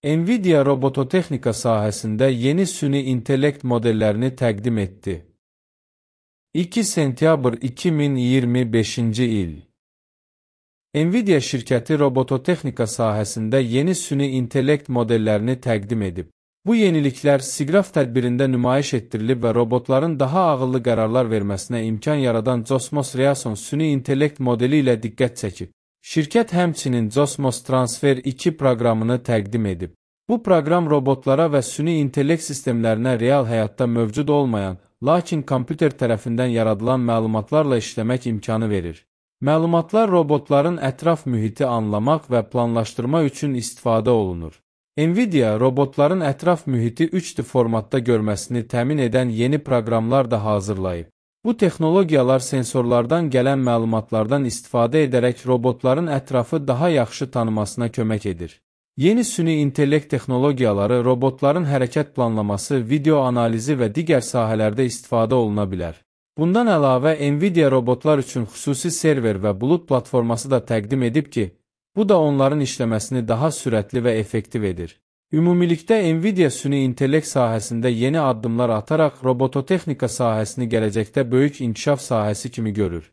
NVIDIA robototexnika sahəsində yeni süni intellekt modellərini təqdim etdi. 2 sentyabr 2025-ci il. NVIDIA şirkəti robototexnika sahəsində yeni süni intellekt modellərini təqdim edib. Bu yeniliklər SIGGRAPH tədbirində nümayiş etdirilib və robotların daha ağıllı qərarlar verməsinə imkan yaradan Cosmos Reason süni intellekt modeli ilə diqqət çəkib. Şirkət həmçinin Cosmos Transfer 2 proqramını təqdim edib. Bu proqram robotlara və süni intellekt sistemlərinə real həyatda mövcud olmayan, lakin kompüter tərəfindən yaradılan məlumatlarla işləmək imkanı verir. Məlumatlar robotların ətraf mühiti anlamaq və planlaşdırma üçün istifadə olunur. NVIDIA robotların ətraf mühiti 3D formatda görməsini təmin edən yeni proqramlar da hazırlayıb. Bu texnologiyalar sensorlardan gələn məlumatlardan istifadə edərək robotların ətrafı daha yaxşı tanımasına kömək edir. Yeni süni intellekt texnologiyaları robotların hərəkət planlaması, video analizi və digər sahələrdə istifadə oluna bilər. Bundan əlavə, NVIDIA robotlar üçün xüsusi server və bulut platforması da təqdim edib ki, bu da onların işləməsini daha sürətli və effektiv edir. Ümumilikdə NVIDIA süni intellekt sahəsində yeni addımlar ataraq robototexnika sahəsini gələcəkdə böyük inkişaf sahəsi kimi görür.